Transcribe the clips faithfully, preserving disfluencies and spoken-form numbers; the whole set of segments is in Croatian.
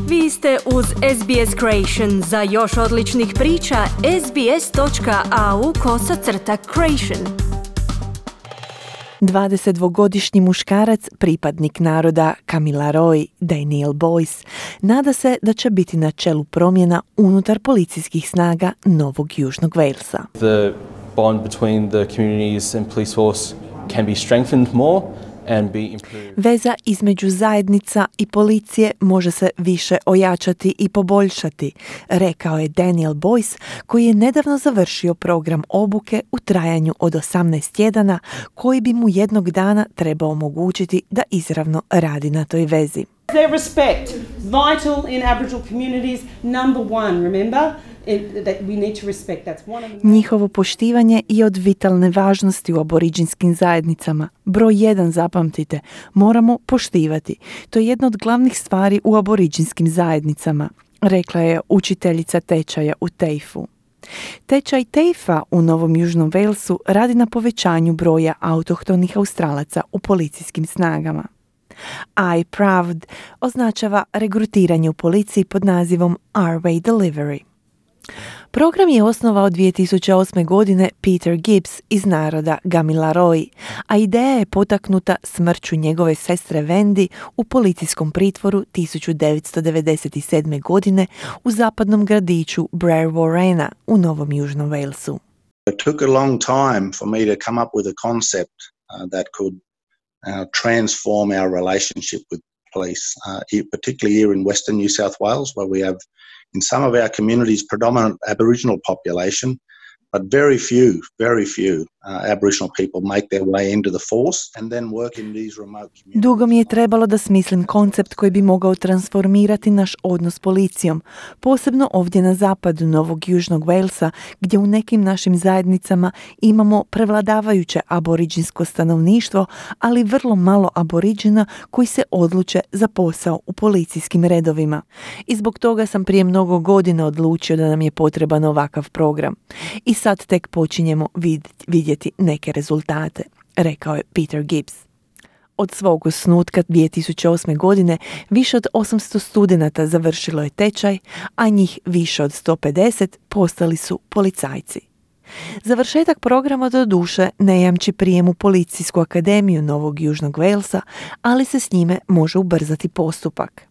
Vi ste uz S B S Creation. Za još odličnih priča, sbs.au kosacrta creation. dvadesetdvogodišnji muškarac, pripadnik naroda Kamilaroi, Daniel Boyce, nada se da će biti na čelu promjena unutar policijskih snaga Novog Južnog Walesa. The bond between the communities and police force can be strengthened more and be improved. Veza između zajednica i policije može se više ojačati i poboljšati, rekao je Daniel Boyce, koji je nedavno završio program obuke u trajanju od osamnaest tjedana, koji bi mu jednog dana trebao omogućiti da izravno radi na toj vezi. Their respect, vital in Aboriginal communities, number one, remember? That we need to respect. That's one of the... Njihovo poštivanje je od vitalne važnosti u aboriđinskim zajednicama. Broj jedan, zapamtite, moramo poštivati. To je jedna od glavnih stvari u aboriđinskim zajednicama, rekla je učiteljica tečaja u TAFE-u. Tečaj TAFE-a u Novom Južnom Walesu radi na povećanju broja autohtonih Australaca u policijskim snagama. I Proud označava regrutiranje u policiji pod nazivom Our Way Delivery. Program je osnovao dvije tisuće osme. godine Peter Gibbs iz naroda Kamilaroi, a ideja je potaknuta smrću njegove sestre Wendy u policijskom pritvoru tisuću devetsto devedeset sedme. godine u zapadnom gradiću Brewarrena u Novom Južnom Walesu. It took a long time for me to come up with a concept uh, that could uh, transform our relationship with police, uh, particularly here in Western New South Wales, where we have in some of our communities predominant Aboriginal population, but very few, very few uh, Aboriginal people make their way into the force and then work in these remote communities. Dugo mi je trebalo da smislim koncept koji bi mogao transformirati naš odnos s policijom, posebno ovdje na zapadu Novog Južnog Walesa, gdje u nekim našim zajednicama imamo prevladavajuće aboriđinsko stanovništvo, ali vrlo malo aboriđina koji se odluče za posao u policijskim redovima. I zbog toga sam prije mnogo godina odlučio da nam je potreban ovakav program. I sad tek počinjemo vidjeti neke rezultate, rekao je Peter Gibbs. Od svog osnutka dvije tisuće osme. godine više od osamsto studenata završilo je tečaj, a njih više od sto pedeset postali su policajci. Završetak programa do duše ne jamči prijem u Policijsku akademiju Novog Južnog Walesa, ali se s njime može ubrzati postupak.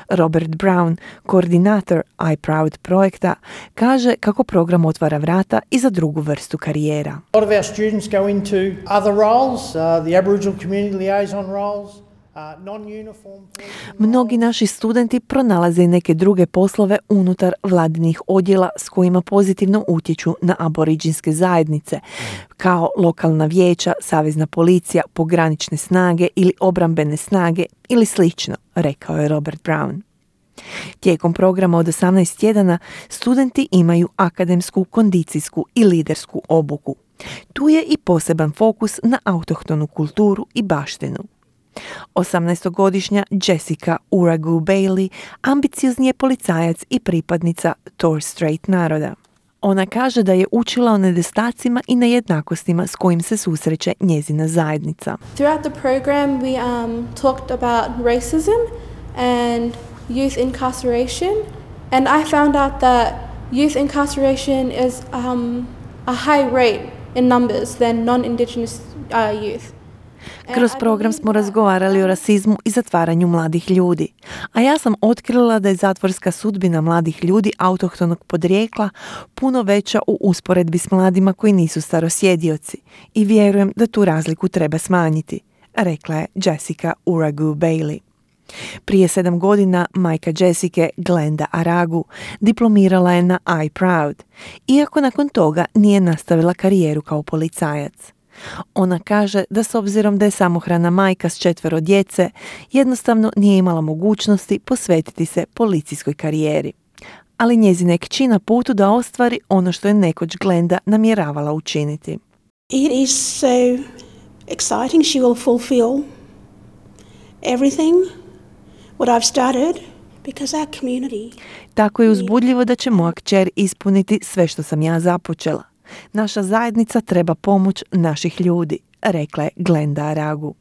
Robert Brown, koordinator I Proud projekta, kaže kako program otvara vrata i za drugu vrstu karijera. A lot of our students go into other roles, uh, the Aboriginal community liaison roles. Mnogi naši studenti pronalaze i neke druge poslove unutar vladinih odjela s kojima pozitivno utječu na aboriđinske zajednice, kao lokalna vijeća, savezna policija, pogranične snage ili obrambene snage ili slično, rekao je Robert Brown. Tijekom programa od osamnaest tjedana studenti imaju akademsku, kondicijsku i lidersku obuku. Tu je i poseban fokus na autohtonu kulturu i baštinu. osamnaestogodišnja Jessica Uragu Bailey ambiciozni je policajac i pripadnica Torres Strait naroda. Ona kaže da je učila o nedostacima i nejednakostima s kojim se susreće njezina zajednica. Throughout the program we um, talked about racism and youth incarceration, and I found out that youth incarceration is um, a high rate in numbers than non-indigenous uh, youth. Kroz program smo razgovarali o rasizmu i zatvaranju mladih ljudi, a ja sam otkrila da je zatvorska sudbina mladih ljudi autohtonog podrijekla puno veća u usporedbi s mladima koji nisu starosjedioci i vjerujem da tu razliku treba smanjiti, rekla je Jessica Uragu Bailey. Prije sedam godina majka Jessica, Glenda Aragu, diplomirala je na I Proud, iako nakon toga nije nastavila karijeru kao policajac. Ona kaže da s obzirom da je samohrana majka s četvero djece, jednostavno nije imala mogućnosti posvetiti se policijskoj karijeri. Ali njezina je kći na putu da ostvari ono što je nekoć Glenda namjeravala učiniti. It is so exciting. She will fulfill everything what I've started because our community. Tako je uzbudljivo da će moja kćer ispuniti sve što sam ja započela. Naša zajednica treba pomoć naših ljudi, rekla je Glenda Aragu.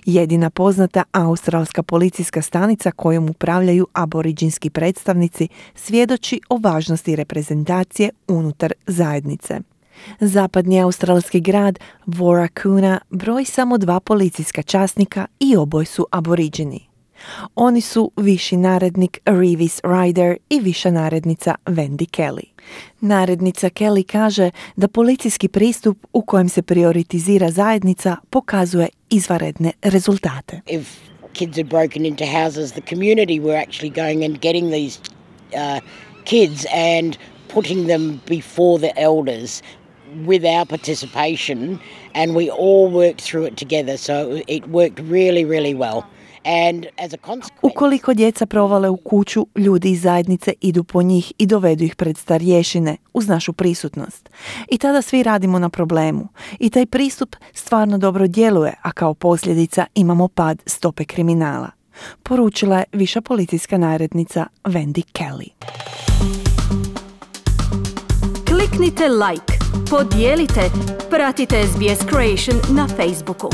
Jedina poznata australska policijska stanica kojom upravljaju aboriđinski predstavnici svjedoči o važnosti reprezentacije unutar zajednice. Zapadni australski grad Warracoona broji samo dva policijska časnika i oboje su aboriđini. Oni su viši narednik Reeves Ryder i viša narednica Wendy Kelly. Narednica Kelly kaže da policijski pristup u kojem se prioritizira zajednica pokazuje izvanredne rezultate. If kids had broken into houses, the community were actually going and getting these uh, kids and putting them before the elders with our participation, and we all worked through it together, so it worked really, really well. And as a consequence... Ukoliko djeca provale u kuću, ljudi iz zajednice idu po njih i dovedu ih pred starješine uz našu prisutnost. I tada svi radimo na problemu. I taj pristup stvarno dobro djeluje, a kao posljedica imamo pad stope kriminala. Poručila je viša policijska narednica Wendy Kelly. Kliknite like, podijelite, pratite S B S Creation na Facebooku.